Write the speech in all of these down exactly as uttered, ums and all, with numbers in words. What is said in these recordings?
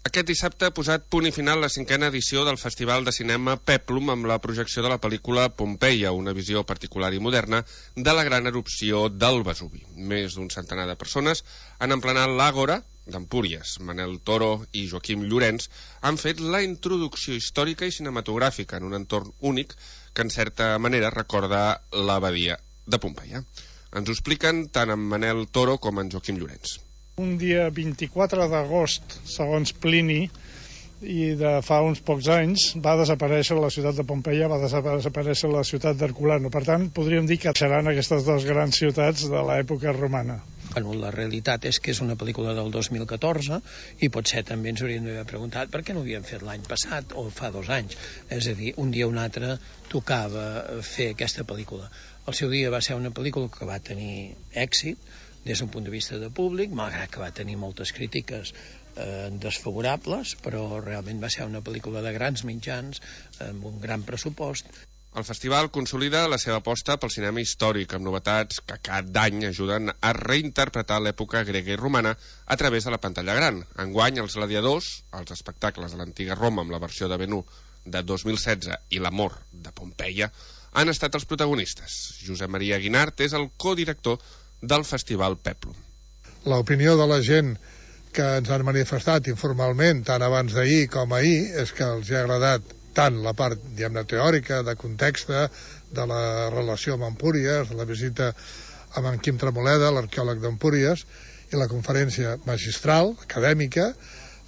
Aquest dissabte ha posat punt i final la cinquena edició del Festival de Cinema Peplum amb la projecció de la pel·lícula Pompeia, una visió particular i moderna de la gran erupció del Vesuvi. Més d'un centenar de persones han emplenat l'Àgora d'Empúries. Manel Toro i Joaquim Llorens han fet la introducció històrica i cinematogràfica en un entorn únic que en certa manera recorda l'abadia de Pompeia. Ens ho expliquen tant en Manel Toro com en Joaquim Llorens. Un dia vint-i-quatre d'agost, segons Plini, i de fa uns pocs anys, va desaparèixer la ciutat de Pompeia, va desaparèixer la ciutat d'Herculano. Per tant, podríem dir que seran aquestes dues grans ciutats de l'època romana. Bueno, la realitat és que és una pel·lícula del dos mil catorze i potser també ens hauríem d'haver preguntat per què no ho havíem fet l'any passat o fa dos anys. És a dir, un dia o un altre tocava fer aquesta pel·lícula. El seu dia va ser una pel·lícula que va tenir èxit des d'un punt de vista de públic, malgrat que va tenir moltes crítiques eh, desfavorables, però realment va ser una pel·lícula de grans mitjans, amb un gran pressupost. El festival consolida la seva aposta pel cinema històric, amb novetats que cada any ajuden a reinterpretar l'època grega i romana a través de la pantalla gran. Enguany, els gladiadors, els espectacles de l'antiga Roma amb la versió de Ben-Hur de dos mil setze i l'amor de Pompeia han estat els protagonistes. Josep Maria Guinart és el codirector del Festival Peplum. L'opinió de la gent que ens han manifestat informalment, tant abans d'ahir com ahir, és que els ha agradat tant la part, diguem-ne, teòrica, de context, de la relació amb Empúries, de la visita amb en Quim Tremoleda, l'arqueòleg d'Empúries, i la conferència magistral, acadèmica.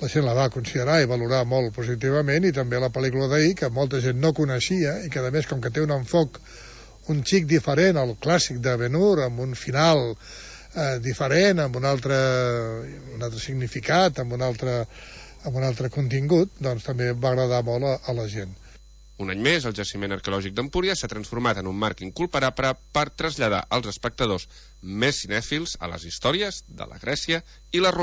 La gent la va considerar i valorar molt positivament, i també la pel·lícula d'ahir, que molta gent no coneixia, i que, a més, com que té un enfoc un xic diferent al clàssic de Ben-Hur, amb un final eh, diferent, amb un altre, un altre significat, amb un altre, amb un altre contingut, doncs també va agradar molt a, a la gent. Un any més, el jaciment arqueològic d'Empúries s'ha transformat en un marc inculparable per traslladar als espectadors més cinèfils a les històries de la Grècia i la Roma.